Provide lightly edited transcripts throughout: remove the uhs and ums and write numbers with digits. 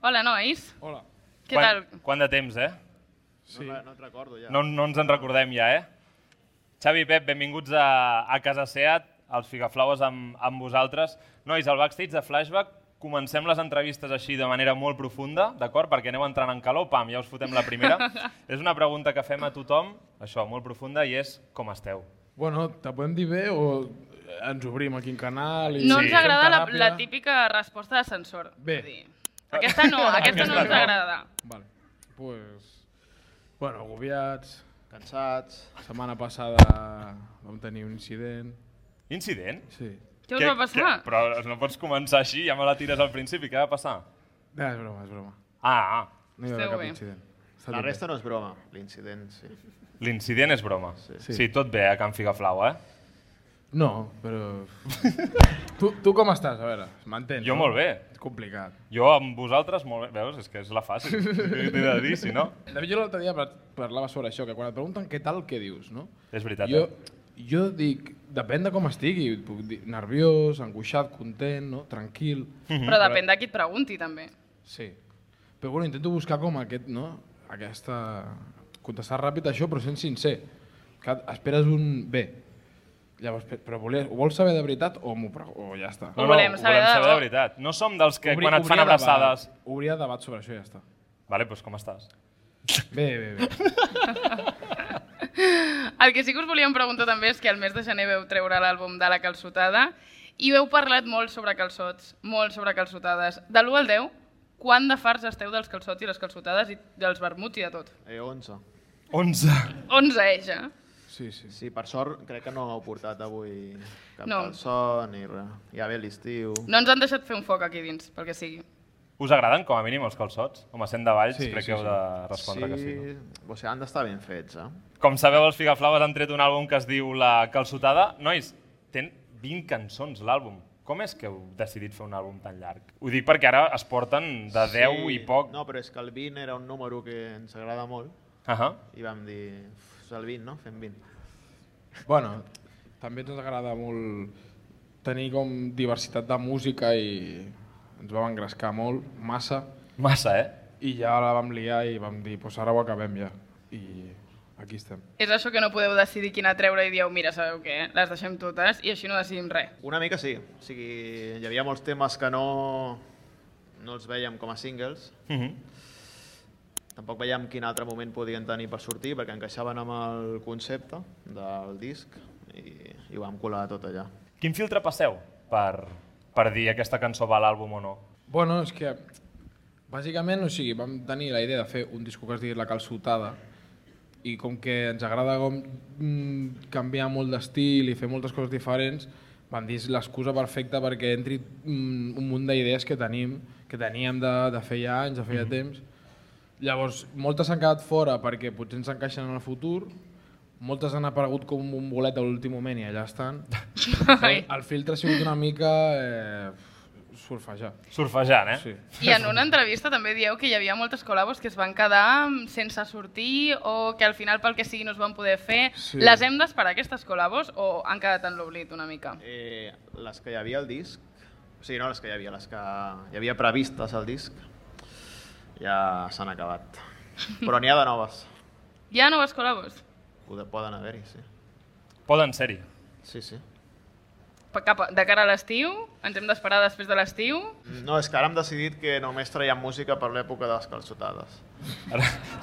Hola, nois. Hola. Què tal? Quant de temps, Sí. No et recordo ja. No ens en recordem ja, Xavi i Pep, benvinguts a Casa Seat, als Figaflaues amb vosaltres. Nois, al backstage de Flashback comencem les entrevistes així de manera molt profunda, d'acord? Perquè aneu entrant en calor, pam, ja us fotem la primera. És una pregunta que fem a tothom, això, molt profunda, i és com esteu? Bueno, te podem dir bé o ens obrim aquí en canal? No ens fem agrada teràpia? la típica resposta d'ascensor. Bé. Vull dir, aquesta no ens agrada. Vale. Pues, bueno, agobiats. Cansats. La setmana passada vam tenir un incident. Incident? Sí. Què us va passar? Però no pots començar així, ja me la tires al principi, què va passar? No, és broma, és broma. No No hi va haver Esteu cap bé. incident. Està La tot bé. resta no és broma, l'incident, sí. L'incident és broma. Sí. Sí, tot bé a Can Figaflau, No, però... tu com estàs? A veure, m'entens? Jo no? molt bé. És complicat. Jo amb vosaltres molt bé. Veus? És que és la fàcil. Què t'he de dir, si no? De fet, jo l'altre dia parlava sobre això, que quan et pregunten què tal, què dius, no? És veritat, Jo dic, depèn de com estigui, puc dir nerviós, angoixat, content, no? Tranquil. Però depèn de qui et pregunti, també. Sí. Però bueno, intento buscar com aquest, no? Aquesta... Contestar ràpid això, però sent sincer. Que esperes un bé. Llavors, però ho vols saber de veritat o ja està? Ho volem saber de debò. de veritat. No som dels que quan et fan abraçades... Obria debat sobre això i ja està. Vale, doncs com estàs? Bé. El que sí que us volíem preguntar també és que al mes de gener veu treure l'àlbum de La Calçotada i heu parlat molt sobre calçots, molt sobre calçotades. De l'1 al 10, quant de farts esteu dels calçots i les calçotades i dels vermuts i de tot? 11. 11. 11, ja. Sí. Sí, per sort crec que no heu portat avui cap No. calçó ni res. Ja ve l'estiu. No ens han deixat fer un foc aquí dins, pel que sigui. Us agraden com a mínim els calçots? Home, sent de Valls, Sí, crec sí, que heu sí. de respondre que sí. No? O sigui, han d'estar ben fets, Com sabeu, els Figaflaues han tret un àlbum que es diu La Calçotada. Nois, ten 20 cançons l'àlbum. Com és que heu decidit fer un àlbum tan llarg? Ho dic perquè ara es porten de 10 i poc. No, però és que el 20 era un número que ens agrada molt i vam dir, és el 20, no? Fem 20. Bueno, també ens agrada molt tenir com diversitat de música i ens vam engrescar molt, massa, Massa, i ja la vam liar i vam dir, doncs ara ho acabem ja. I aquí estem. És això que no podeu decidir quina treure i dieu, mira, sabeu què, les deixem totes i així no decidim res. Una mica sí. O sigui, hi havia molts temes que no els veiem com a singles. Tampoc veiem quin altre moment podien tenir per sortir perquè encaixaven amb el concepte del disc i ho vam colar tot allà. Quin filtre passeu per dir aquesta cançó va a l'àlbum o no? Bueno, és que bàsicament, o sigui, vam tenir la idea de fer un disco que es digui La Calçotada i com que ens agrada com canviar molt d'estil i fer moltes coses diferents, vam dir l'excusa perfecta perquè entri un munt d'idees que teníem de fer ja anys, de fer ja temps. Llavors, moltes s'han quedat fora perquè potser ens encaixen en el futur, moltes han aparegut com un bolet a l'últim moment i allà estan. El filtre ha sigut una mica surfejar. Surfejant, Sí. I en una entrevista també dieu que hi havia moltes col·labos que es van quedar sense sortir o que al final pel que sigui no es van poder fer. Sí. Les hem d'esperar aquestes col·labos o han quedat en l'oblit una mica? Les que hi havia al disc, o sigui, no les que hi havia, les que hi havia previstes al disc, ja s'han acabat. Però n'hi ha de noves. Hi ha noves col·labos? Poden haver-hi, sí. Poden ser-hi. Sí. De cara a l'estiu? Ens hem d'esperar després de l'estiu? No, és que ara hem decidit que només traiem música per l'època de les calçotades.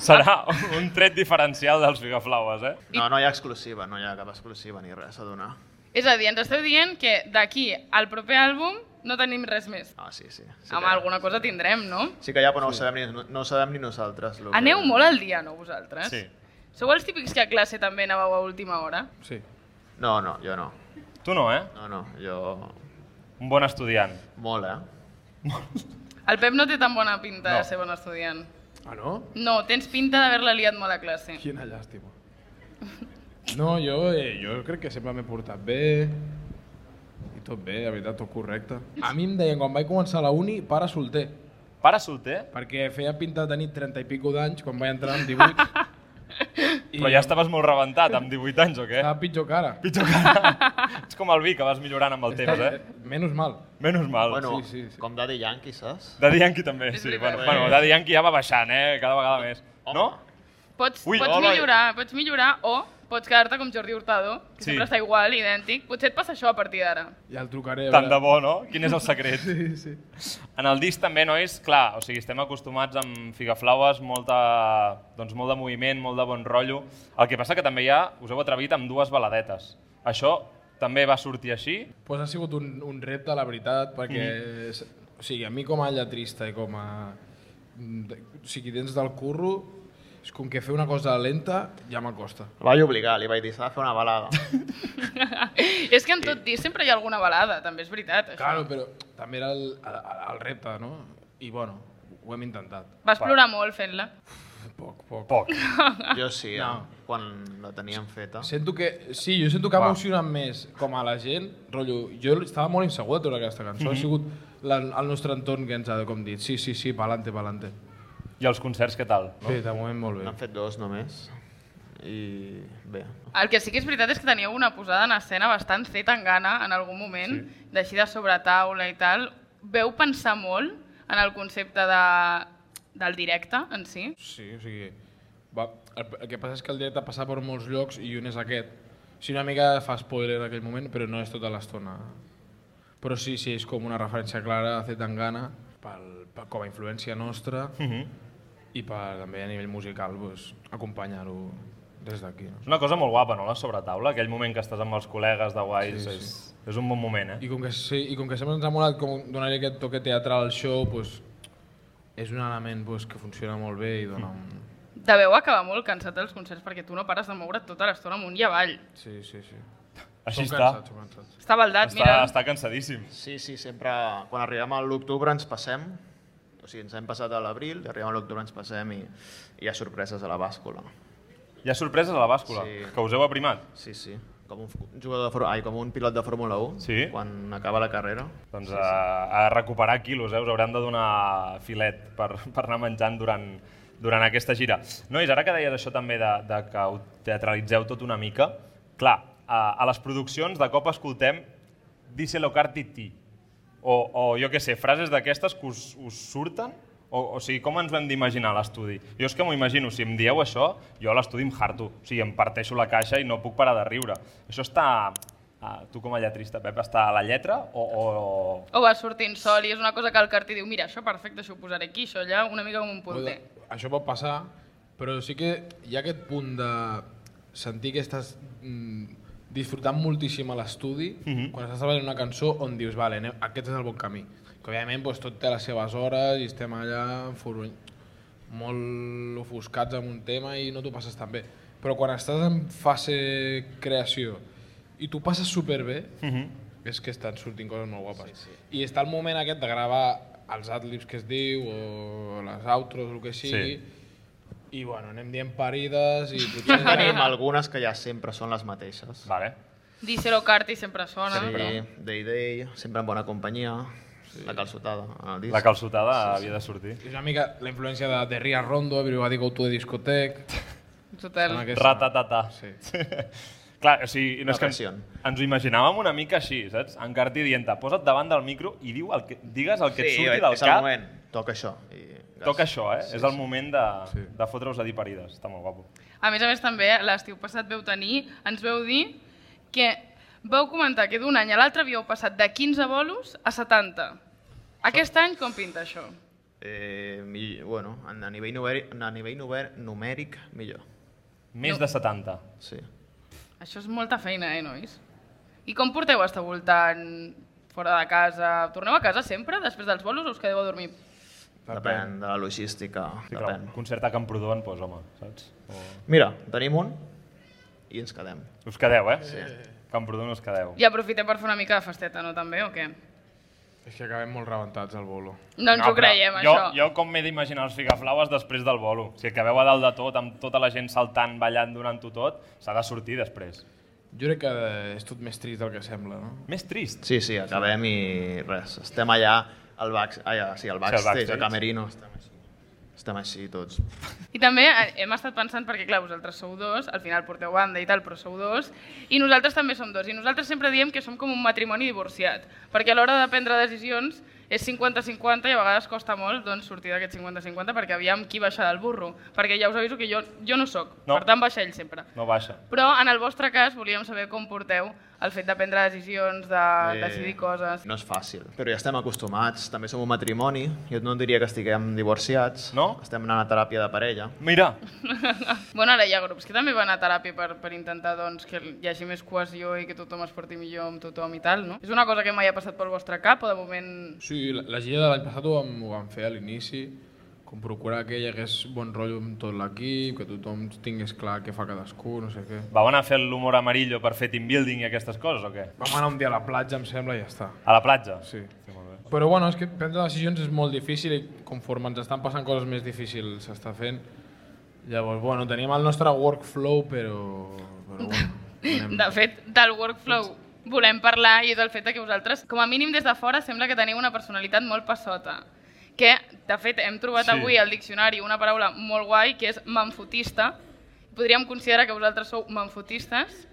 Serà un tret diferencial dels Figaflaues, No hi ha exclusiva, no hi ha cap exclusiva ni res a donar. És a dir, ens esteu dient que d'aquí al proper àlbum no tenim res més. Ah, sí. Amb alguna cosa tindrem, no? Sí que hi ha, però no ho sabem ni nosaltres. Aneu molt al dia, no, vosaltres? Sí. Sou els típics que a classe també anàveu a última hora? Sí. No, jo no. Tu no, No, jo... Un bon estudiant. Molt, El Pep no té tan bona pinta No. de ser bon estudiant. Ah, no? No, tens pinta d'haver-la liat molt a classe. Quina llàstima. No, jo crec que sempre m'he portat bé i tot bé, la veritat, tot correcte. A mi em deien, quan vaig començar a la uni, pare solter, Pare solter? perquè feia pinta de tenir 30 i pico d'anys quan vaig entrar amb 18. Però ja estaves molt rebentat, amb 18 anys o què? Estava pitjor que ara. Pitjor que ara. Ets com el vi, que vas millorant amb el temps, Menos mal. Menos mal. Bueno, sí. com Daddy Yankee, saps? Daddy Yankee també, És sí. veritat. Bueno, Daddy Yankee ja va baixant, cada vegada més. Home. No? Pots Ui, millorar o pots quedar-te com Jordi Hurtado, que sempre està igual, idèntic. Potser et passa això a partir d'ara. Ja el trucaré. Tant de bo, no? Quin és el secret? Sí. En el disc també, nois, clar, o sigui, estem acostumats amb Figaflaues, molt de moviment, molt de bon rotllo. El que passa que també ja us heu atrevit amb 2 baladetes. Això també va sortir així? Pues ha sigut un repte, la veritat, perquè o sigui, a mi com a lletrista i com a... O sigui, dins del curro, és com que fer una cosa lenta ja m'acosta. El vaig obligar, li vaig dir, s'ha de fer una balada. És que en tot disc sempre hi ha alguna balada, també és veritat, això. Claro, però també era el repte, no? I bueno, ho hem intentat. Vas plorar molt fent-la. Poc. Jo sí, No. quan la teníem feta. Sento que ha emocionat més com a la gent, rotllo, jo estava molt insegur de tota aquesta cançó, ha sigut el nostre entorn que ens ha com dit, sí, pa'lante. I els concerts, què tal? No? Sí, de moment molt bé. N'han fet 2 només. I bé. El que sí que és veritat és que teníeu una posada en escena bastant feta en gana en algun moment, d'així de sobretaula i tal. Veu pensar molt en el concepte del directe en si? Sí, o sigui, el que passa és que el directe passa per molts llocs i un és aquest. Sí, una mica fa spoiler en aquell moment, però no és tota l'estona. Però sí, és com una referència clara a Zetangana, com a influència nostra, i també a nivell musical acompanyar-ho des d'aquí. És una cosa molt guapa, no?, la sobretaula, aquell moment que estàs amb els col·legues de guais, és un bon moment, I com que sempre ens ha molat donar-hi aquest toque teatral al show, és un element que funciona molt bé i dona un... Deveu acabar molt cansat dels concerts perquè tu no pares de moure't tota l'estona amunt i avall. Sí. Així Som està. cansats. Està baldat, mira. Està cansadíssim. Sí, sempre, quan arribem a l'octubre ens passem, o sigui, ens hem passat a l'abril, i arribem a l'octubre ens passem i hi ha sorpreses a la bàscula. Hi ha sorpreses a la bàscula, Sí. que us heu aprimat. Sí, com com un pilot de Fórmula 1, Sí? quan acaba la carrera. Doncs a recuperar quilos, us hauran de donar filet per anar menjant durant aquesta gira. Nois, ara que deies això també de que ho teatralitzeu tot una mica, clar, a les produccions de cop escoltem Díselo Cartiti, o jo què sé, frases d'aquestes que us surten? O sigui, com ens ho hem d'imaginar a l'estudi? Jo és que m'ho imagino, si em dieu això, jo a l'estudi em harto, o sigui, em parteixo la caixa i no puc parar de riure. Això està, tu com a lletrista, Pep, està a la lletra o... O va sortint sol i és una cosa que el Carti diu mira, això perfecte, això ho posaré aquí, això allà, una mica com un punter. Això pot passar, però sí que hi ha aquest punt de sentir que estàs disfrutant moltíssim a l'estudi quan estàs treballant una cançó on dius, vale, aquest és el bon camí. Que òbviament tot té les seves hores i estem allà molt ofuscats amb un tema i no t'ho passes tan bé. Però quan estàs en fase creació i t'ho passes superbé, és que estan sortint coses molt guapes. I està el moment aquest de gravar els adlibs que es diu o les outros o el que sigui, i bueno, anem dient parides i potser... Tenim algunes que ja sempre són les mateixes. Vale. Díselo Carti sempre sona. Sí, Day, sempre en bona companyia, la calçotada en el disc. La calçotada havia de sortir. És una mica la influència de Ria Rondo, Everybody Go to the Discotheque... Total. Ratatata. Sí. Clar, o sigui, no és que pressió. ens ho imaginàvem una mica així, saps? En Carti dient-te, posa't davant del micro i digues el que et surti del és el cap. moment, toca això. Toca això, és el moment de fotre-us a dir parides. Està molt guapo. A més, també, l'estiu passat ens veu dir que vau comentar que d'un any a l'altre havíeu passat de 15 bolos a 70. Aquest any com pinta això? Bueno, a nivell numèric, millor. Més de 70. Sí. Això és molta feina, nois? I com porteu estar voltant fora de casa? Torneu a casa sempre, després dels bolos, o us quedeu a dormir? Depèn de la logística. Sí, clar, un concert a Camprodon, doncs, home, saps? Mira, tenim un i ens quedem. Us quedeu, Sí. Camprodon us quedeu. I aprofitem per fer una mica de festeta, no, també, o què? És que acabem molt rebentats al bolo. No ens ho creiem, això. Jo com m'he d'imaginar els Figaflaues després del bolo? Si acabeu a dalt de tot, amb tota la gent saltant, ballant, donant-ho tot, s'ha de sortir després. Jo crec que és tot més trist del que sembla, no? Més trist. Sí, acabem i res. Estem allà al backstage, backstage. al camerino. estem així tots. I també hem estat pensant, perquè clar, vosaltres sou dos, al final porteu banda i tal, però sou dos, i nosaltres també som dos. I nosaltres sempre diem que som com un matrimoni divorciat, perquè a l'hora de prendre decisions és 50-50 i a vegades costa molt doncs, sortir d'aquest 50-50 perquè aviam qui baixa del burro. Perquè ja us aviso que jo no sóc, per tant baixa ell sempre. No baixa. Però en el vostre cas volíem saber com porteu el fet de prendre decisions, de decidir coses. No és fàcil, però ja estem acostumats. També som un matrimoni. Jo no diria que estiguem divorciats. No? Estem anant a teràpia de parella. Mira, Bueno, ara hi ha grups que també van a teràpia per intentar doncs, que hi hagi més cohesió i que tothom es porti millor amb tothom i tal, no? És una cosa que mai ha passat pel vostre cap o de moment... Sí, la gira de l'any passat ho vam fer a l'inici, com procurar que hi hagués bon rotllo amb tot l'equip, que tothom tingués clar què fa cadascú, no sé què. vau anar a fer l'humor amarillo per fer team building i aquestes coses o què? Vam anar un dia a la platja, em sembla, i ja està. A la platja? Sí. Sí, molt bé. Però bueno, és que prendre decisions és molt difícil i conforme ens estan passant coses més difícils s'està fent. Llavors, bueno, teníem el nostre workflow, però bueno, De fet, del workflow volem parlar i del fet que vosaltres, com a mínim des de fora, sembla que teniu una personalitat molt passota. Que, de fet, hem trobat avui al diccionari una paraula molt guai, que és manfotista. Podríem considerar que vosaltres sou manfotistes,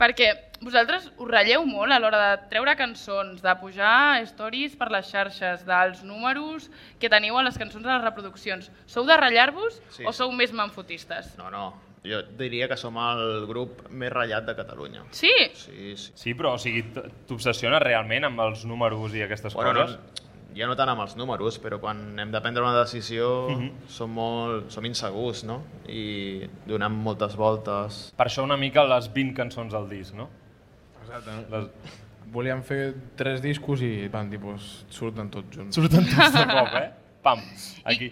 perquè vosaltres us ratlleu molt a l'hora de treure cançons, de pujar stories per les xarxes, dels números que teniu a les cançons de les reproduccions. Sou de ratllar-vos Sí, o sou més manfotistes? No. Jo diria que som el grup més ratllat de Catalunya. Sí? Sí. Sí, però o sigui, t'obsessiones realment amb els números i aquestes coses? Ja no tant amb els números, però quan hem de prendre una decisió som insegurs, no? I donem moltes voltes. Per això una mica les 20 cançons del disc, no? exacte, no? Volíem fer 3 discos i van dir, doncs, surten tots junts. Surten tots de cop, Pam, aquí.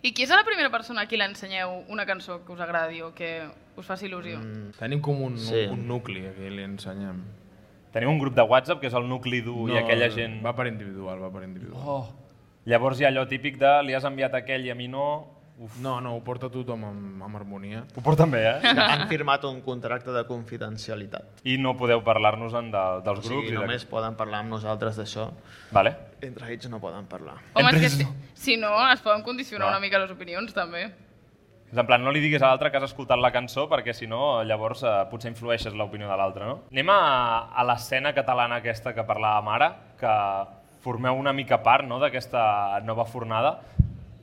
I qui és la primera persona a qui l'ensenyeu una cançó que us agradi o que us faci il·lusió? Tenim com un nucli a qui li ensenyem. Teniu un grup de WhatsApp que és el nucli dur i aquella gent... Va per individual. Oh. Llavors hi ha allò típic de li has enviat a aquell i a mi no... Uf. No, ho porta tothom amb harmonia. Ho porten bé, Han firmat un contracte de confidencialitat. I no podeu parlar-nos-en dels O grups? sigui, només poden parlar amb nosaltres d'això. Vale. Entre ells no poden parlar. Home, Entre és que ells si no, es poden condicionar No. una mica les opinions, també. És en plan, no li diguis a l'altre que has escoltat la cançó perquè si no, llavors potser influeixes l'opinió de l'altre, no? Anem a l'escena catalana aquesta que parlàvem ara, que formeu una mica part, no?, d'aquesta nova fornada.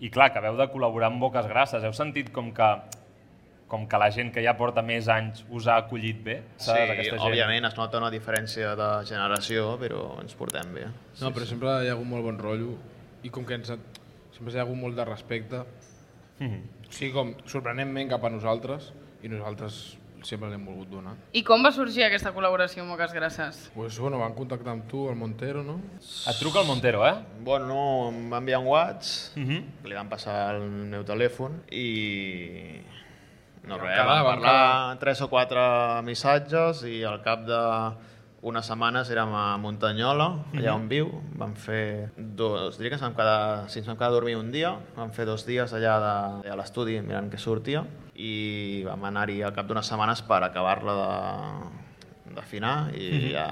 I clar, que acabeu de col·laborar amb Boques Grasses. Heu sentit com que la gent que ja porta més anys us ha acollit bé? Sí, òbviament es nota una diferència de generació, però ens portem bé. No, però sempre hi ha hagut molt bon rotllo i com que sempre hi ha hagut molt de respecte. O sigui, com sorprenentment cap a nosaltres i nosaltres sempre l'hem volgut donar. I com va sorgir aquesta col·laboració amb Boques Grasses? Pues, bueno, van contactar amb tu, el Montero, no? Et truca el Montero, Bueno, no, em va enviar un WhatsApp, li van passar el meu telèfon i... No res, vam parlar 3 o 4 missatges i al cap d'unes setmanes érem a Muntanyola, allà on viu. Vam fer diria que ens vam quedar a dormir un dia, vam fer 2 dies allà a l'estudi mirant què sortia i vam anar-hi al cap d'unes setmanes per acabar-la d'afinar i ja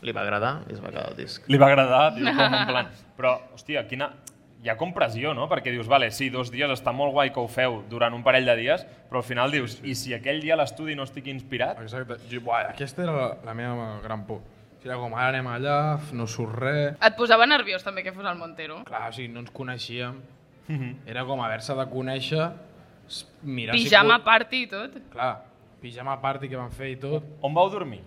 li va agradar i es va quedar el disc. Li va agradar, diu, com en plan... Però, hòstia, hi ha com pressió, no? Perquè dius, vale, sí, 2 dies està molt guai que ho feu durant un parell de dies, però al final dius, i si aquell dia a l'estudi no estic inspirat? Exacte. Aquesta era la meva gran por. Era com, ara anem allà, no surt res... Et posava nerviós també que fos el Montero? Clar, o sigui, no ens coneixíem. Era com haver-se de conèixer, mirar... Pijama party i tot? Clar, pijama party que van fer i tot. On vau dormir?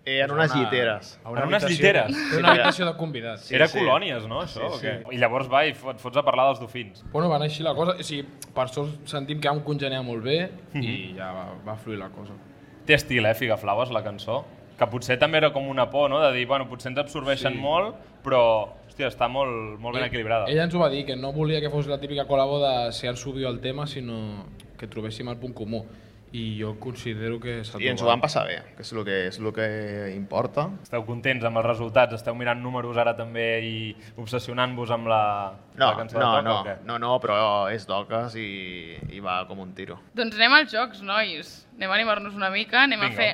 En unes lliteres. En unes lliteres? Era una habitació de convidats. Era colònies, no, això? Sí, o què? I llavors va i et fots a parlar dels dofins. Bueno, va anar així la cosa. O sigui, per sort sentim que vam congeniar molt bé i ja va fluir la cosa. Té estil, Figaflaues, la cançó? Que potser també era com una por, no?, de dir, bueno, potser ens absorbeixen molt, però, hòstia, està molt ben equilibrada. Ella ens ho va dir, que no volia que fos la típica col·labo de si han subit el tema, sinó que trobéssim el punt comú. I jo considero que s'ha trobat. I ens ho vam passar bé, que és el que importa. Esteu contents amb els resultats? Esteu mirant números ara també i obsessionant-vos amb la cançó de Toca o què? No, però és d'oques i va com un tiro. Doncs anem als jocs, nois. Anem a animar-nos una mica, anem a fer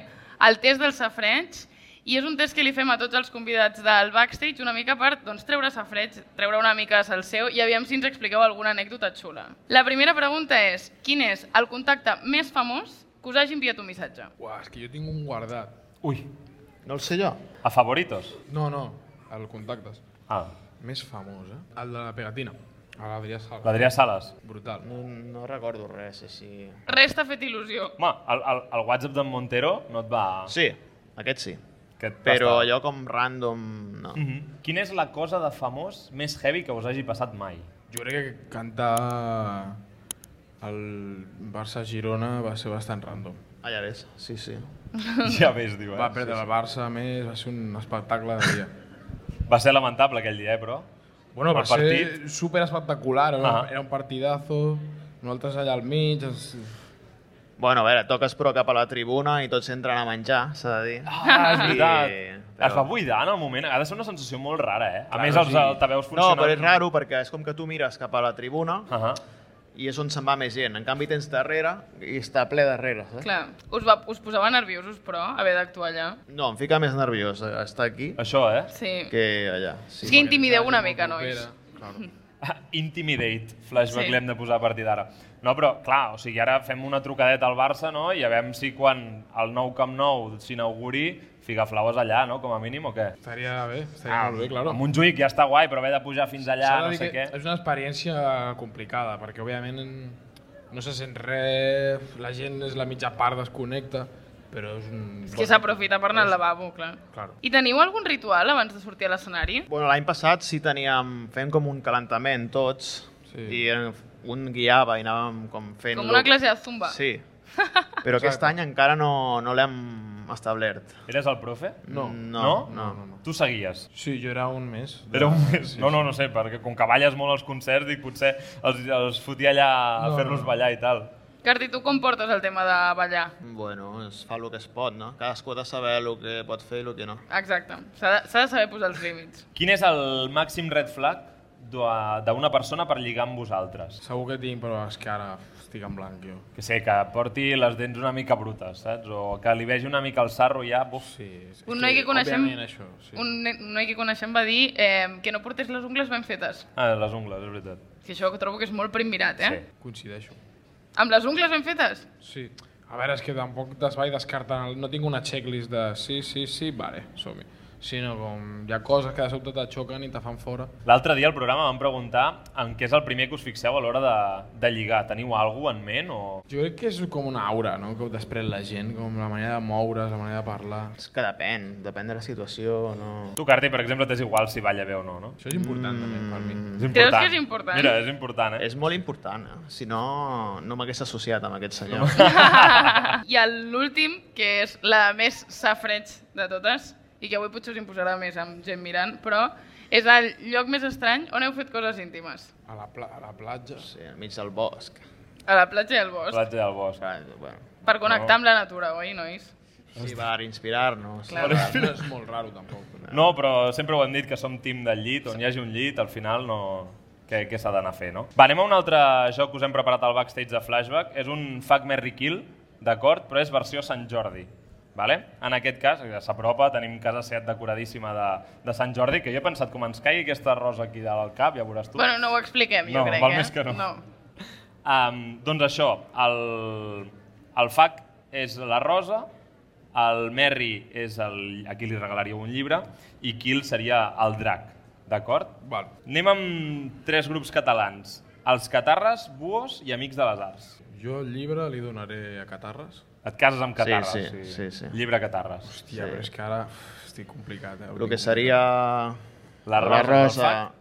el test del safreig I és un test que li fem a tots els convidats del backstage una mica per treure safreig, treure una mica de salseu i aviam si ens expliqueu alguna anècdota xula. La primera pregunta és, quin és el contacte més famós que us hagi enviat un missatge? Uah, és que jo tinc un guardat. Ui, No el sé jo. a favoritos? No, el contactes. Ah, Més famós, El de la pegatina. A l'Adrià Sala. l'Adrià Sales. Brutal. No recordo res així. Res t'ha fet il·lusió. Home, el WhatsApp d'en Montero no et va... Sí, aquest sí. Que et Però basta. allò com random, no. Quina és la cosa de famós més heavy que us hagi passat mai? Jo crec que cantar el Barça-Girona va ser bastant random. Ah, ja ves, sí. Ja ves, diu, Va perdre el Barça, a més, va ser un espectacle de dia. Va ser lamentable aquell dia, però... Bueno, va El partit. ser super espectacular, era un partidazo, nosaltres allà al mig... Bueno, a veure, toques però cap a la tribuna i tots entren a menjar, s'ha de dir. Ah, és veritat. Però- Es va buidar en el moment. Ha de ser una sensació molt rara, eh? A Clar, més, els sí. altaveus No, funcionen... però és raro perquè és com que tu mires cap a la tribuna Uh i és on se'n va més gent. En canvi tens darrere i està ple darrere, saps? Clar, us posava nerviosos, però, haver d'actuar allà. No, em fica més nerviós estar aquí Això, eh? Sí. que allà. És que intimideu una mica, nois. Claro. Intimidate, flashback, Sí. l'hem de posar a partir d'ara. No, però, clar, o sigui, ara fem una trucadeta al Barça, no?, i a veure si quan el nou Camp Nou s'inauguri, Figaflaues allà, no?, com a mínim, o què? Estaria bé, molt bé, claro. A Montjuïc ja està guai, però haver de pujar fins allà, S'ha de no dir sé que què... és una experiència complicada, perquè òbviament no se sent res, la gent és la mitja part desconnecta, però és un... És que s'aprofita per anar al lavabo, clar. Claro. I teniu algun ritual abans de sortir a l'escenari? Bueno, l'any passat sí fèiem com un calentament tots Sí. i un guiava i anàvem com fent... Com una classe de zumba? Sí, però aquest any encara no l'hem establert. Eres el profe? No. No? Tu seguies? Sí, jo era un mes. Era un mes. No sé, perquè com que balles molt als concerts, dic, potser els fotia allà a No, fer-los no. ballar i tal. Carti, tu com portes el tema de ballar? Bueno, es fa el que es pot, no? Cadascú ha de saber el que pot fer i el que no. Exacte, s'ha de saber posar els límits. Quin és el màxim red flag d'una persona per lligar amb vosaltres? Segur que tinc, però és que ara estic en blanc, jo. Que sé, que porti les dents una mica brutes, saps? O que li vegi una mica el sarro ja... Buf. Sí, és Un noi que coneixem, òbviament això, sí. un noi que coneixem va dir que no portés les ungles ben fetes. Ah, les ungles, és veritat. Que això trobo que és molt prim mirat, eh? Sí. Coincideixo. Amb les ungles ben fetes? Sí. A veure, és que tampoc es vaig descartant, no tinc una checklist de sí, vale, som-hi. Sinó com hi ha coses que de sobte te xoquen i te fan fora. L'altre dia al programa vam preguntar en què és el primer que us fixeu a l'hora de lligar. Teniu alguna en ment o...? Jo crec que és com una aura, no?, que després la gent, com la manera de moure's, la manera de parlar. És que depèn de la situació, no... Tu, Carti, per exemple, t'és igual si balla bé o no, no? Això és important també per mi. És important. Creus que és important? Mira, és important, eh? És molt important, Si no, no m'hagués associat amb aquest senyor. I l'últim, que és la més safreig de totes, i que avui potser us imposarà més amb gent mirant, però és el lloc més estrany on heu fet coses íntimes. A la platja. Sí, enmig del bosc. A la platja i al bosc. Platja del bosc. Bueno, Per connectar amb la natura, oi, nois? sí, per inspirar-nos. Clar. No és molt raro, tampoc. No, però sempre ho hem dit que som team del llit, on hi hagi un llit, al final no... Què s'ha d'anar a fer, no? Va, anem a un altre joc que us hem preparat al backstage de Flashback. És un Fuck, Marry, Kill, d'acord? Però és versió Sant Jordi. Vale? En aquest cas, s'apropa, tenim casa set decoradíssima de Sant Jordi, que jo he pensat com ens caigui aquesta rosa aquí dalt al cap, ja veuràs tu. Bueno, no ho expliquem, jo No, crec, val més que no. Doncs això, el Fuck és la rosa, el Merry és a qui li regalaríeu un llibre i Kill seria el drac, d'acord? Val. Anem amb 3 grups catalans, els Catarres, Buos i Amics de les Arts. Jo el llibre li donaré a Catarres. Et cases amb Catarres, sí. Llibre Catarres. Hòstia, però és que ara estic complicat, El que seria La la rosa,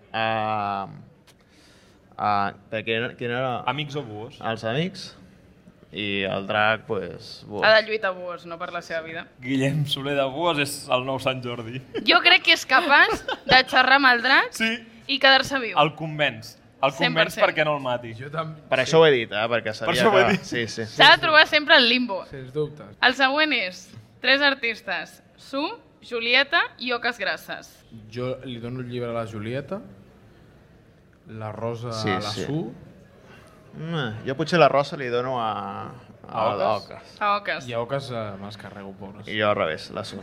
quin era? Amics o Buos? Els amics i el drac, pues... Ha de lluitar Buos, no per la seva vida. Guillem Soler de Buos és el nou Sant Jordi. Jo crec que és capaç de xerrar amb el drac Sí, i quedar-se viu. el convenç. El convenç 100%. perquè no el mati. Jo també... Per això ho he dit, perquè sabia això ho he que... dit. Sí. S'ha de trobar sempre el limbo. Sens dubtes. El següent és 3 artistes, Su, Julieta i Oques Grasses. Jo li dono el llibre a la Julieta, la rosa Sí, a la sí. Su Jo potser la rosa li dono a Oques? l'Oques. A Oques. i a Oques me'ls carrego, pobres. I jo al revés, la Su.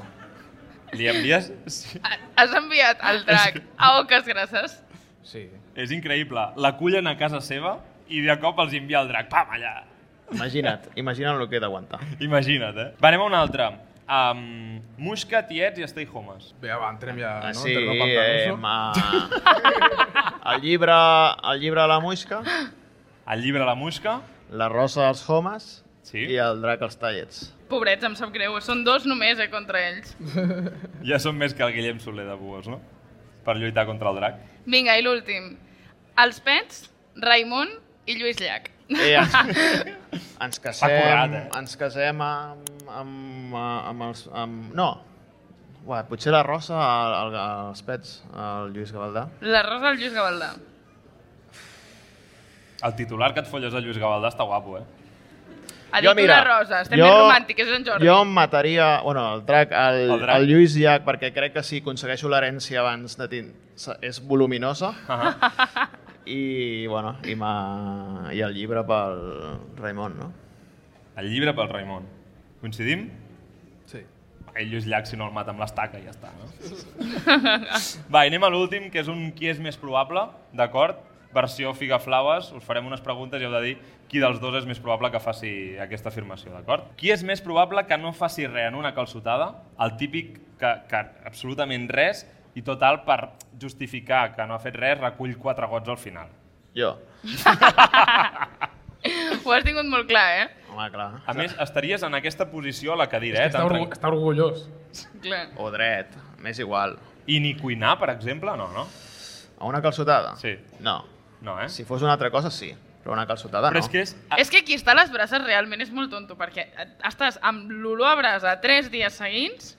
Li envies... Sí. Has enviat el drac a Oques Grasses? Sí. És increïble. L'acullen a casa seva i de cop els envia el drac. Pam, allà. Imagina't el que he d'aguantar. Imagina't, eh? Va, anem a una altra. Muixca, tiets i stay homes. Bé, va, entrem ja, no? Sí, Entrem el llibre a la Muixca, El llibre La Muixca. la Rosa als homes Sí. i el drac als tallets. Pobrets, em sap greu. Són dos només, contra ells. Ja són més que el Guillem Soler de Buos, no? Per lluitar contra el drac. Vinga, i l'últim. Els pets, Raimon i Lluís Llach. Ens casem, S'ha currat, eh? ens casem amb els... No, uah, potser la Rosa als pets, el Lluís Gavaldà. La Rosa al Lluís Gavaldà. El titular que et folles de Lluís Gavaldà està guapo, eh? Ha dit una Rosa, estem més romàntics, és en Jordi. Jo em mataria, bueno, el drac, El drac. el Lluís Llach, perquè crec que si aconsegueixo l'herència abans de és voluminosa. I, bueno, i el llibre pel Raimon, no? El llibre pel Raimon. Coincidim? Sí. El Lluís Llach, si no el mata amb l'estaca, ja està, no? Va, i anem a l'últim, que és un qui és més probable, d'acord? Versió Figaflaues, us farem unes preguntes i heu de dir qui dels dos és més probable que faci aquesta afirmació, d'acord? Qui és més probable que no faci res en una calçotada? El típic que absolutament res i total per justificar que no ha fet res recull 4 gots al final. Jo. Ho has tingut molt clar, Home, clar. A més, estaries en aquesta posició a la cadira, Està orgullós. Clar. O dret, m'és igual. I ni cuinar, per exemple, no, no? A una calçotada? Sí. No. No, eh? Si fos una altra cosa, sí. Però una calçotada Però no. és que és... És que qui està a les brases realment és molt tonto, perquè estàs amb l'olor a brasa 3 dies seguits,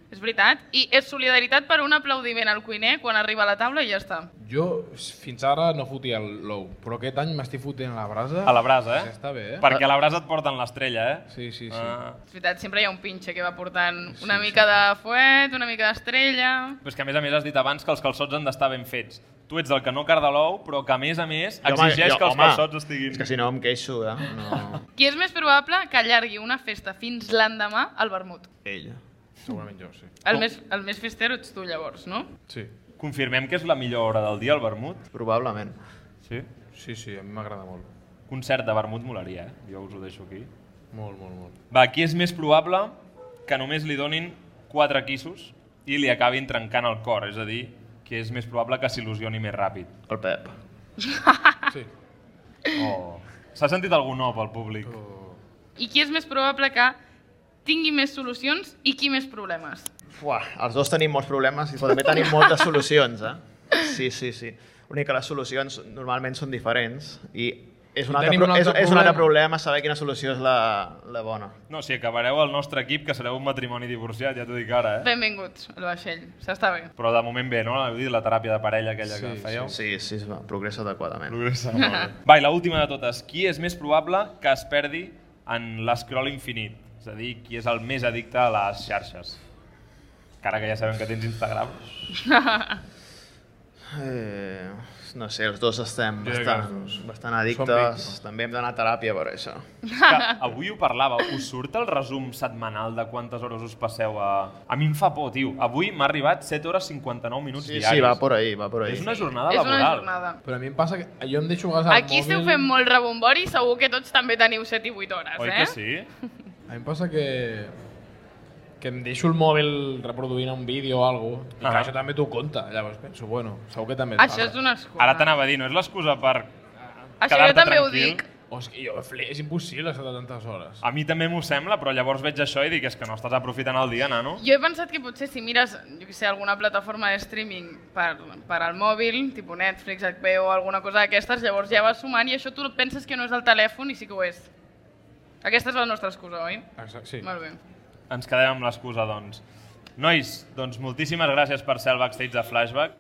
és veritat, i és solidaritat per un aplaudiment al cuiner quan arriba a la taula i ja està. Jo fins ara no fotia l'ou, però aquest any m'estic fotent a la brasa. A la brasa, eh? Ja està bé, eh? Perquè a la brasa et porten l'estrella, eh? Sí, sí, sí. És veritat, sempre hi ha un pinxe que va portant una mica de fuet, una mica d'estrella... Però és que a més has dit abans que els calçots han d'estar ben fets. Tu ets el que no carda l'ou, però que a més exigeix que els calçots estiguin... És que si no em queixo, No. Qui és més probable que allargui una festa fins l'endemà al vermut? Ell. Segurament jo, sí. El més festero ets tu, llavors, no? Sí. Confirmem que és la millor hora del dia, el vermut? Probablement. Sí. Sí, sí, a mi m'agrada molt. Concert de vermut molaria, eh? Jo us ho deixo aquí. Molt, molt, molt. Va, qui és més probable que només li donin 4 quissos i li acabin trencant el cor? És a dir, qui és més probable que s'il·lusioni més ràpid? El Pep. Sí. Oh. S'ha sentit algun no pel públic? I qui és més probable que tingui més solucions i qui més problemes? Uah, els dos tenim molts problemes i també tenim moltes solucions, Sí, sí, sí. L'únic que les solucions normalment són diferents i és un altre problema saber quina solució és la bona. No, si acabareu el nostre equip, que sereu un matrimoni divorciat, ja t'ho dic ara, eh? Benvinguts al vaixell, s'està bé. Però de moment bé, no? La teràpia de parella aquella que fèieu. Sí, progressa adequadament. Progressa molt bé. Va, i l'última de totes. Qui és més probable que es perdi en l'escroll infinit? És a dir, qui és el més addicte a les xarxes? Encara que ja sabem que tens Instagram. No sé, els dos estem bastant addictes. També hem d'anar a teràpia per això. Que avui ho parlava. Us surt el resum setmanal de quantes hores us passeu a... A mi em fa por, tio. Avui m'ha arribat 7 hores 59 minuts diaris. Sí, va por ahí. És una jornada És laboral. una jornada. Però a mi em passa que jo em deixo a vegades el Aquí esteu fent molt rebombori i segur que tots també teniu 7 i 8 hores, Oi que sí? A mi em passa que em deixo el mòbil reproduint un vídeo o alguna cosa, i que això també t'ho compta. Llavors penso, bueno, segur que també... Això és una excusa. Ara t'anava a dir, no és l'excusa per Això jo quedar-te també ho tranquil. dic. O és que és impossible estar tantes hores. A mi també m'ho sembla, però llavors veig això i dic és que no estàs aprofitant el dia, nano. Jo he pensat que potser si mires, jo què sé, alguna plataforma de streaming per al mòbil, tipus Netflix, HBO o alguna cosa d'aquestes, llavors ja vas sumant i això tu penses que no és el telèfon i sí que ho és. Aquesta és la nostra excusa, oi? Exacte, sí. Molt bé. Ens quedem amb l'excusa, doncs. Nois, doncs moltíssimes gràcies per ser al backstage de Flashback.